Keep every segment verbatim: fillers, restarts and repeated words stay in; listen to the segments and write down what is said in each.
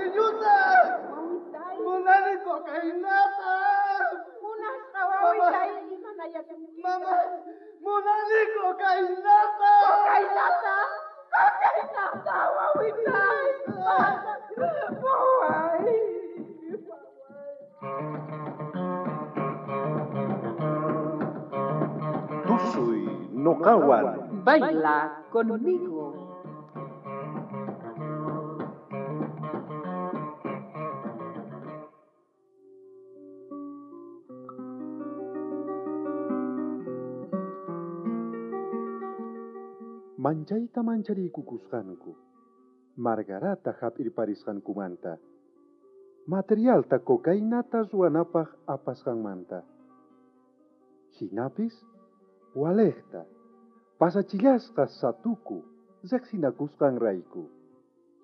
Cariñuta! Wawitay. Munani cocainata! Munasqa wawitay, imanayasunki. Mama, munani cocainata! Cocainata! Cocainata, wawitay! Waway! Tusuy noqawan. Baila conmigo. Manchayta manchariykukusqanku, Margarata hap'irparisqankumanta, materialta cocainata ruwanapaq apasqanmanta. Hinapis, walejta, pasachillasqa satuku riqsinakusqanrayku.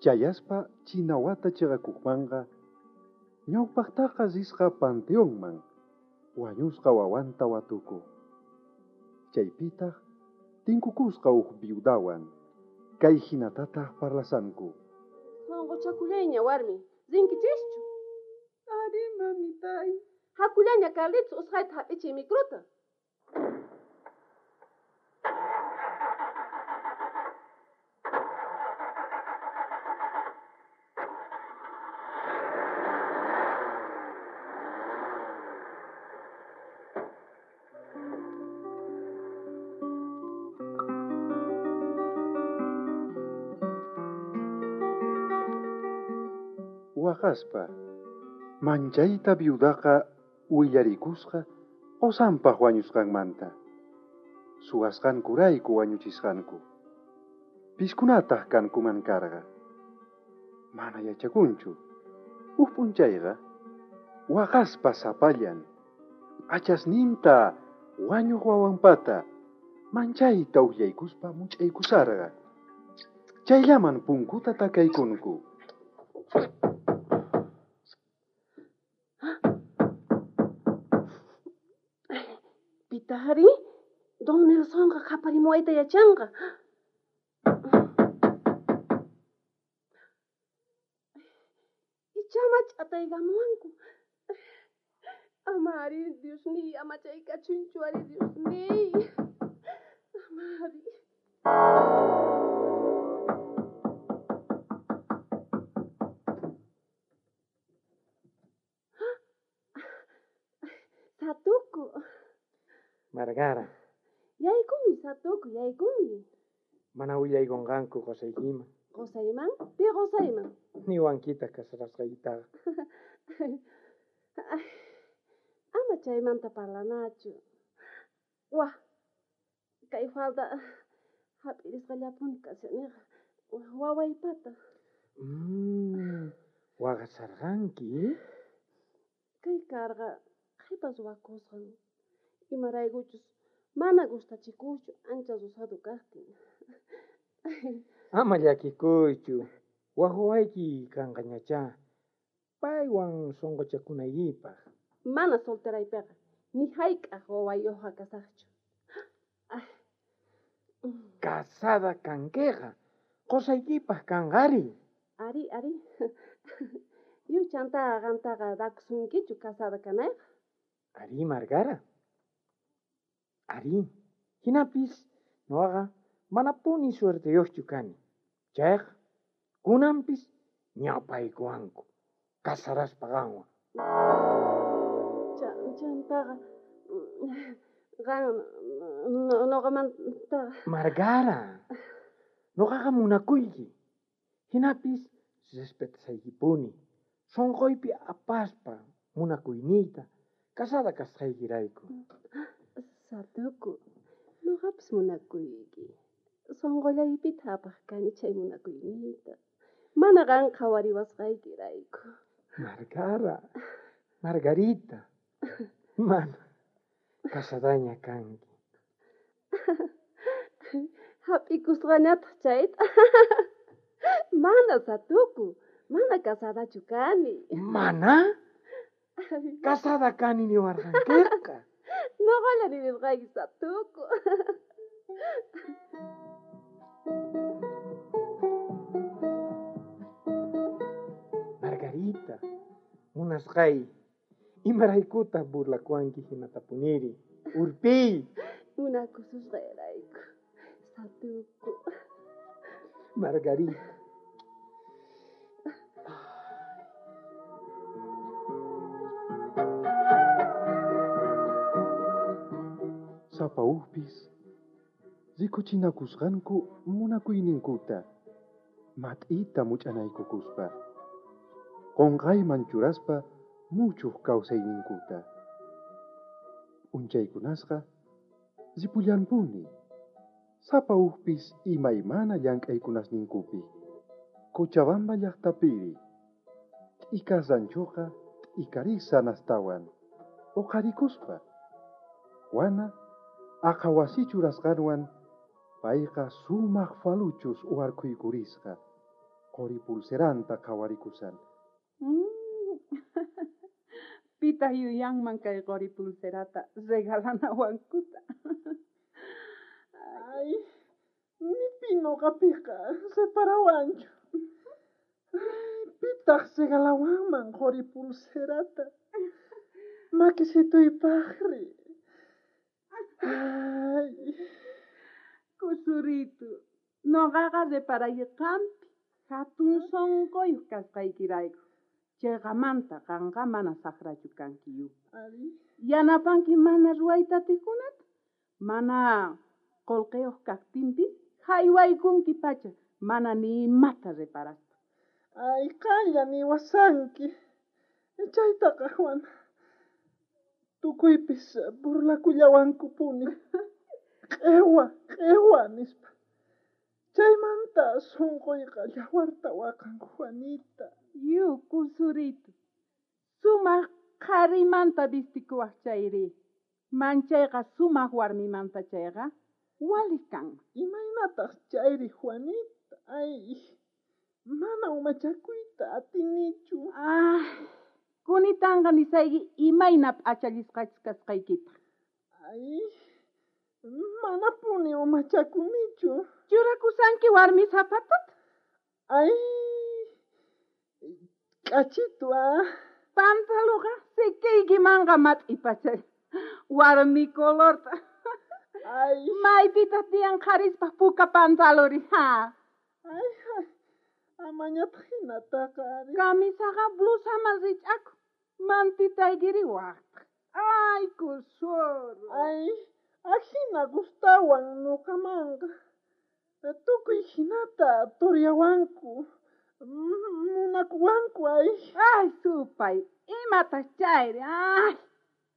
Chayaspa chinawata chiqakuqmanqa, ñawpaqtaqa risqa panteonman, wañusqa wawanta watuku. Chaypitaq tinkukusqa uj viudawan, kay hinatataq parlasanku. Sunquchakullayña warmi, rinkichischu? Ari, mamitay. Hakullaña Carlitos usqhayta hap'ichiy microta. Waqaspa, manchayta viudaqa willarikusqa qosanpaq wañusqanmanta. Suwasqankurayku wañuchisqanku. Piskunataq kankuman karqa. Mana yachakunchu. Uj p'unchayqa waqaspa sapallan, p'achasninta wañuq wawanpata manchayta uqllaykuspa much'aykusarqa. Chayllaman punkuta takaykunku. Pitari, Don Nelsonqa qhaparimuwayta yachanqa. Ichama ch'ataykamuwanku. Ama ari, Diosniy, ama chaykachunchu ari, Diosniy. Ama ari. Satuku. Margara. Yaykumi, Satuku, yaykumi. Mana willaykunqanku qusaykiman. Qusayman? Pi qusayman? Niwankita casarasqaykitaqa. Ama chaymanta parlanachu. Wah, kay falda hap'irisqallapuni kashaniqa. Wawaypata. Mm, waqasarqanki? Kay karqa qhipa ruwakusqan. Imaraykuchus mana gustachikuqchu ancha rosado kaqtin. Ama llakikuychu, wak wawayki kanqañachá, paywan sunquchakunaykipaq. Mana solteraypiqa, ni hayk'aq wawayuqqa kasaqchu. Casada kankiqa, qusaykipaq kanqari. Ari, ari. Yuchantaqa qantaqa dakusunkichu casada kanayqa. Ari, Margara. Ari, hinapis nuqaqa manapuni suerteyuqchu kani. Chayqa kunanpis ñawpaykuwanku casaraspa qanwan. Chantaqa qan nuqamantaqa. Margara, nuqaqa munakuyki. Hinapis respetasaykipuni. Sunquypi apaspa munakuyniyta casada kasqaykirayku. Satuku, nuqapis munakuyki. Sunqullaypita apaq kani chay munakuyniyta. Mana qan qhawariwasqaykirayku. Margara, Margarita, mana, casadaña kanki. Hap'ikusqañataq chayta. Mana, Satuku, mana casadachu kani. Mana? Casada kani niwarqankiqa. Nuqalla nirisqayki, Satuku. Margarita, munasqay, imaraykutaq burlakuwanki hinatapuniri? Urpiy. Munakususqayrayku, satuku. Margarita. Sapa ujpis rikuchinakusqanku munakuyninkuta mat'ita much'anaykukuspa, qonqayman churaspa muchuq kawsayninkuta. P'unchaykunasqa ripullanpuni, sapa ujpis imaymana llank'aykunasninkupi. Cochabamba llaqtapiri, t'ikas ranchoqa t'ikarisan astawan, uqharikuspa. Juana aqha wasi churasqanwan payqa sumaq faluchus uwarkhuykurisqa, qori pulseranta qhawarikusan. Pitaq yuyanman kay qori pulserata regalanawankuta. Ay, ni pi noqapiqa separawanchu. Pitaq regalawanman qori pulserata. Makisituypaqri. Ay. Kusuritu, noqaqa reparay qampi hatun sunquyuq kasqaykirayku. Chayqamanta qanqa mana saqrachu kanki. Yanapanki mana ruwayta atiqkunata, mana qullqiyuq kaqtinpis haywaykunki pacha, mana ni imata reparaspa. Ay, qanlla niwasanki. Chaytaqa, Juana, tukuypis burlakullawankupuni. Q'ewa, q'ewa nispa. Chaymanta sunquyqa llawarta waqan, Juanita. Yu, kusuritu, sumaq qharimanta vistikuwaq chayri. Manchayqa sumaq warmimanta chayqa waliq kanman. Imaynataq chayri, Juanita? Ay, mana umachakuyta atinichu. Ah, kunitanqa nisayki imayna p'achallisqachus kasqaykita. Ay, manapuni umachakunichu. Churakusanki warmi zapatota. Ay, k'achitu, ah. Pantaluqa sikiykimanqa mat'ipachay. Warmi colorta. Ay. Maypitaq tiyan qharispaq puka pantaluri, ha. Ay, ay, amañataq hinataqa ari. Camisaqa blusaman rich'akun. Mantitaykiri waqtaq. Ay, kusuru. Ay, ajina gustawan noqamanqa. Tukuy hinata toryawanku. Munakuwanku, ay. Ay, supay, imataq chayri, ay.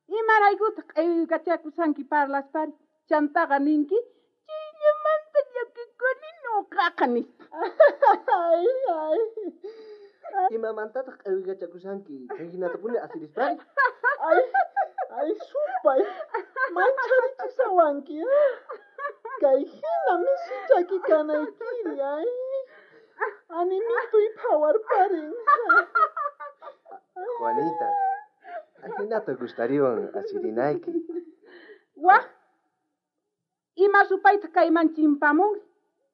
Imaraykutaq q'iwiykachakusanki parlaspari, chantaqa ninki, chillamanta llakikuni noqaqa nispa. Ay, ay. Imamantataq q'iwiykachakusanki chay hinatapuni asirispari? Ay, ay, supay, mancharichishawanki, ah. Kay hina misichaki kanaykiri, ay. Animituy phawarparin. Juanita, ajinata gustariwan asirinayki. Waj, ima supaytaq kayman chimpamunri?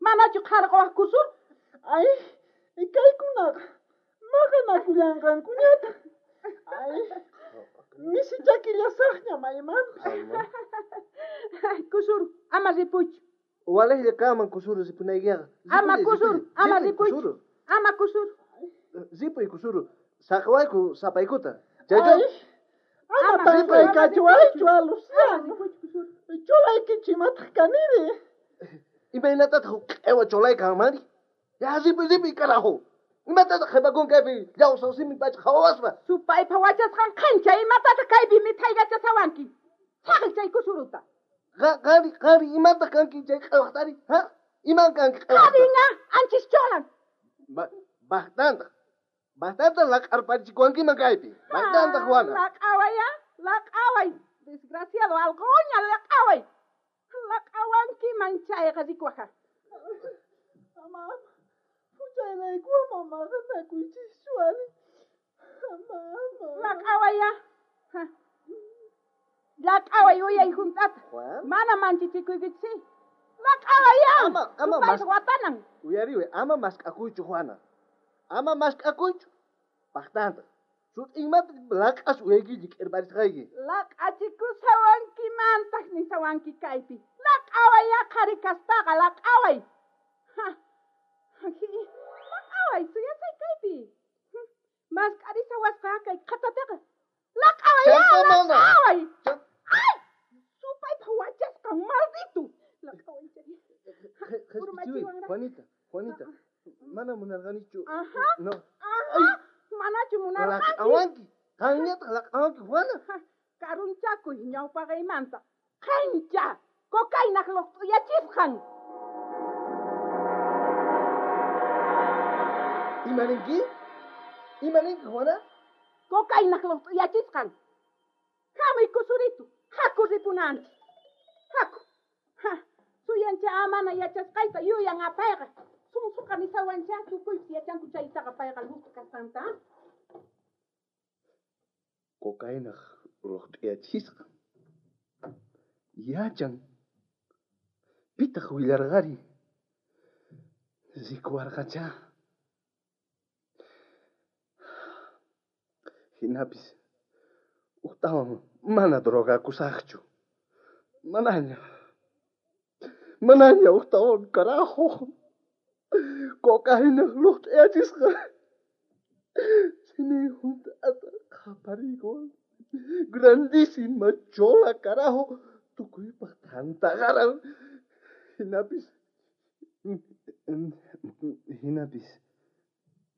Manachu qharquwaq kusur? Ay, kaykunaqa maqanakullanqankuñataq. Ay, misichakillasaqña maymanpis. Kusur, ama ripuchu. Walejlla kanman kusuru ripunaykiqa. Ama kusuru, ama ripuchu. Ama kusuru. Ripuy kusuru, saqawayku sapaykuta. Ay, ama tanqaykachiwaychu, Luciano. Cholaykichimataq kaniri. Imaynatataq q'ewa cholay kanmanri? Ya ripuy, ripuy, carajo. Imatataq qhipakun kaypi llawsa simi pacha qhawaspa? Supaypa wachasqan qhancha, imatataq kaypi mithaykachasawanki? Saqi chay kusuruta. Qari, qari, imataq kanki chay q'ewaqtari? Ha? Iman kanki q'ewaqta? Qarinqa, anchis cholan. Baqtantaq. Baqtantaq laq'arparichikuwankiman kaypi. Baqtantaq, Juana. Laq'away, ah, laq'away. Desgraciado, algoña, laq'away. Laq'awankiman chayqa rikuwaqa. Ama, huchayrayku ama maqanakuychischu ari. Ama, ama. Laq'away, ah. Laq'away uyay hunt'ata. Mana manchichikuykichis. Laq'away, ah. Ama, ama mas watanan. Uyariway, ama mask'akuychu, Juana. Ama mask'akuychu. Paqtanta. Sut'inmanta laq'as uyaykichi k'irparisqayki. Laq'achikusawankimantaq nisawanki kaypi. Laq'away aqhari kaspaqa, laq'away. Laq'away, suyasay kaypi. Mask'arisawasqa kay qhatapiqa. Laq'away, laq'away. Ay! Supaypa wachasqan, maldito. Laq'away chay. Juanita, Juanita. Mana munarqanichu. Ajá. No. Ajá. Manachu munarqanki. Laq'awanki. Qanñataq laq'awanki, Juana. Karunchakuy ñawpaqaymanta. Qancha! Cocainaq luqt'uyachisqan. Imaninki? Imaninki, Juana? Cocainaq luqt'uyachisqan. Hamuy kusuritu. Haku ripunanchik. Haku. Ha. Suyancha amana yachasqayta yuyan apayqa. Sunsuqa nisawancha tukuypis yachanku chaytaqa payqa luqt'u kasqanta. Cocainaq luqt'uyachisqan. Yachan. Pitaq willarqari. Rikuwarqacha. Hinapis uqtawan mana drogakusaqchu. Manaña. Manaña uqtawan carajo. Cocainaq luqt'uyachisqan. Simin hunt'ata qapariykuwan. Grandísima chola carajo. Tukuypaq tantaqaran. Hinapis hinapis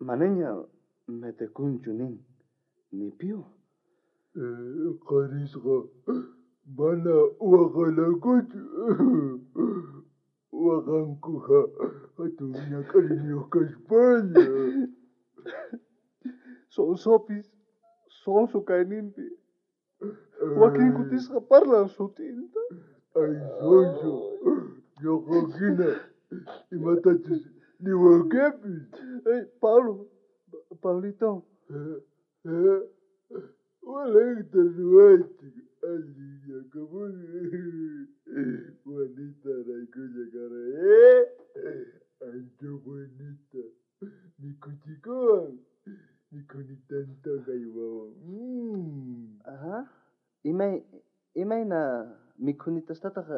manaña metekunchu nin. Ni pío. Qarisqa mana waqalankuchu. Waqankuqa hatun ñak'ariniyuq kaspaña. Sonsopis, sonso kayninpi. Wakin kutisqa parlan sutinta. Ay, sonso, ñuqa hina imatachus niwankipis. Ay, Pablo, Pablito. Walaqta ruwaychik allinyakapuni. Juanita raykulla karay, eh? Ancha buenita. Mikuchikuwan. Mikhunitanta haywawan. Mm. Ajá. Imay, imayna mikhunitastataq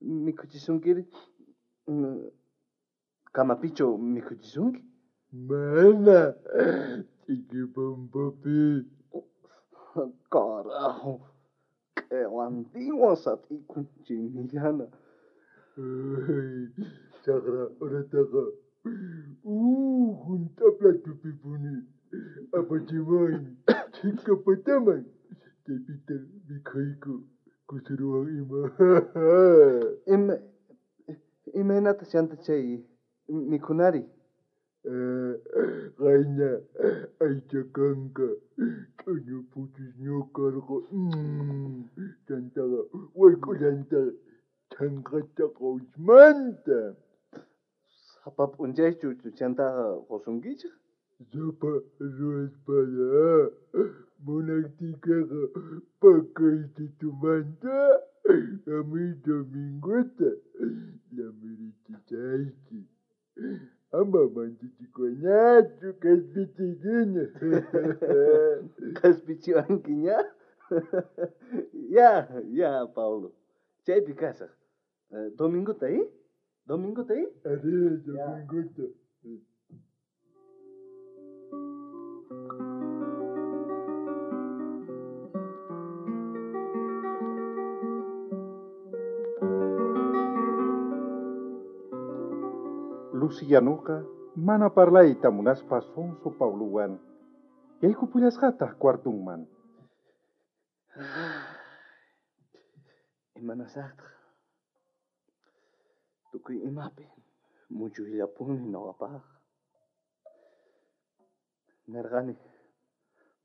mikhuchisunkiri? Kamapichu mikhuchisunki? Mana. Ch'ikipampapi. Carajo. Q'ewantinwan sat'ikun chinillana. Ay, chaqra urataqa uh, hunt'a platupipuni apachimuwan chhika pataman chaypita mikhuyku kusuruwan ima. Ima, imaynata chanta chay mikhunari? Qayna aycha kanka ch'uñu puchusñu karqa. Chantaqa wayk'ullanta chhanqata qawchmanta. Sapa p'unchaychu chantaqa qusunkichik? Sapa ruwaspalla munaqtiykiqa pakaytitumanta hamuy dominguta llamirichisayki. Ama manchachikuñachu q'ispichiykiña. Q'ispichiwankiña? Ya, ya, Pablo. Chaypi kasaq. Dominguta, eh? Dominguta, eh? Arí, dominguta. Lucianuqa mana parlayta munaspa sonso Pablowan yaykupullasqataq cuartunman. Imanasaqtaq tukuy imapi muchuyllapuni noqapaq. Nerqani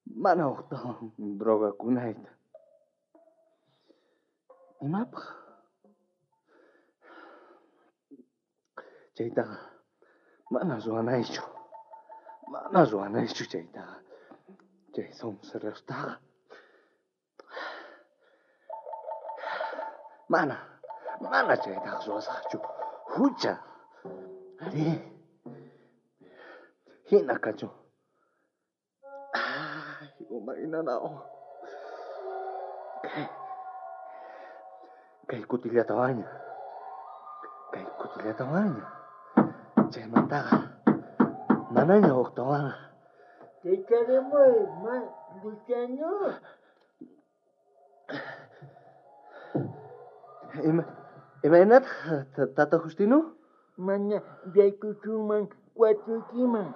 mana uqtawan drogakunayta. Imapaq? Chaytaqa mana ruwanaychu. Mana ruwanaychu chaytaqa. Chay sonserostaqa. Mana, mana chaytaqa ruwasaqchu. Hucha. Arí. Hina kachun. Umay nanawan. Kay, kay kutillatawanña. Kay kutillatawanña. Chaymantaqa manaña huktawanqa. Kacharimuy, ma, Luciano. Ima, imaynataq Tata Justino? Mana yaykusunman cuartoykiman.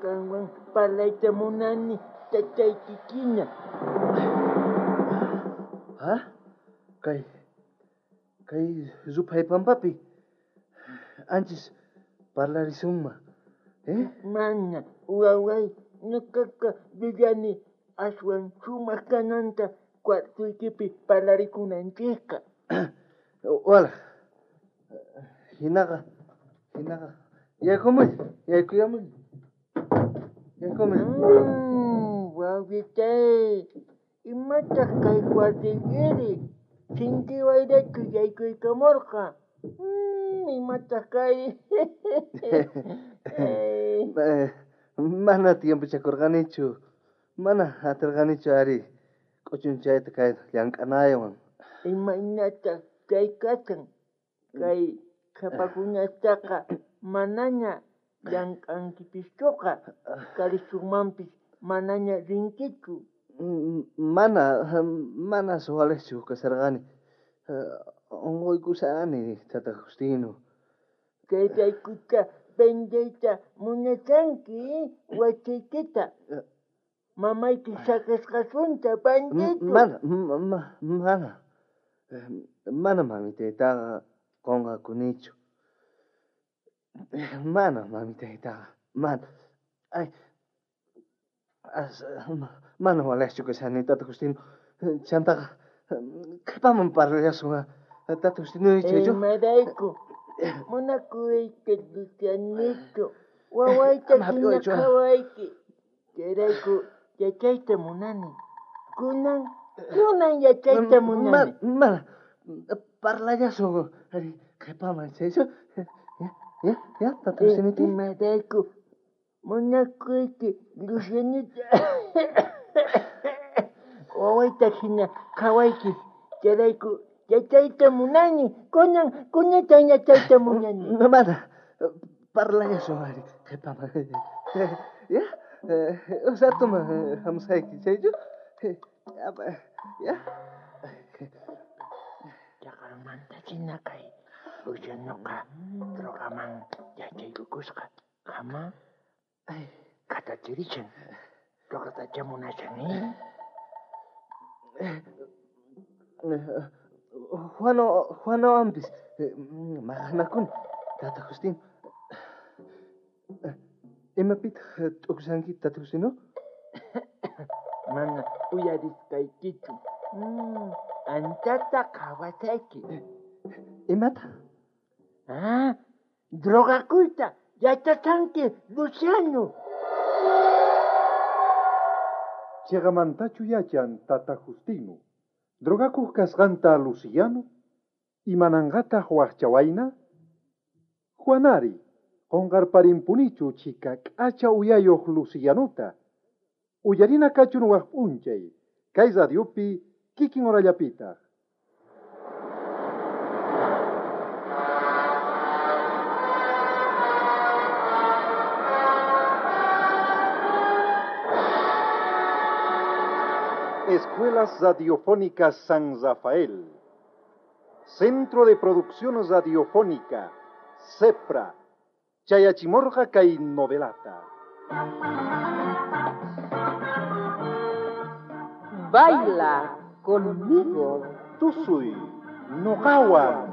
Qanwan parlayta munani tataykikina. Ha? Kay, kay ruphay pampapi anchis parlarisunman. Eh? Mana, waway, ñuqaqa yuyani aswan sumaq kananta cuartoykipi parlarikunanchikqa. Wala, hinaqa, hinaqa, yaykumuy, yaykuyamuy, yaykumuy. Mm, wawitay, imataq kay cuartoykiri? Sinchi wayrachu yaykuykamurqa? Mm, imataq kay? Mana tiempochakurqanichu, mana atirqanichu ari k'uchunchayta kay llank'anaywan. Imaynataq kay kashan? Kay qhapakunastaqa manaña llank'ankipischuqa, Kalisunmanpis manaña rinkichu. Mana, mana suwaliqchu kasharqani. Unquykusani, Tata Justino. Chayraykuta vendeyta munashanki wasiykita. Mamayki saqisqasunta bandido. Mana, mana. Mana mamitaytaqa qunqakunichu. Mana mamitaytaqa, mana. Ay, as, mana waliqchu kashani, Tata Justino. Chantaqa qhipaman parlallasun, Tata Justino, chaychu? Imarayku munakuyta Lucianito, wawayta hina qhawayki. Chayrayku yachayta munani. Kunan, kunan yachayta munani. Mana, parlallasun, qhipaman, chaychu? Ya, ya, Tata Justinito. Imarayku munakuyki Lucianito. Wawayta hina qhawayki. Chayrayku yachayta munani. Kunan, kunatan yachayta munani. Mana, parlallasun ari qhipaman. Ya, usatuman hamusayki, chaychu? Ya. Chaqanmanta china kay Lucianoqa drogaman yachaykukusqa. Qama katachirishan. Drogatacha munashan, eh? Juano, Juanowanpis maqanakuni, Tata Justino. Imapitaq t'ukushanki, Tata Justino? Mana uyarisqaykichu. Mm, anchata qhawasayki. Imata? Ah, drogakuyta yachashanki, Luciano. Chiqamantachu yachan Tata Justino? Drogakuq kasqanta Luciano? Imananqataq waqchawayna? Juanari, qunqarparimpunichu chika k'acha uyayuq Lucianota. Uyarina kachun waq p'unchay, kay radiopi kikin horallapitaq. Escuelas Radiofónicas San Rafael, Centro de Producción Radiofónica, CEPRA, Chayachimorja kay novelata. Baila conmigo. Tusuy, noqawan.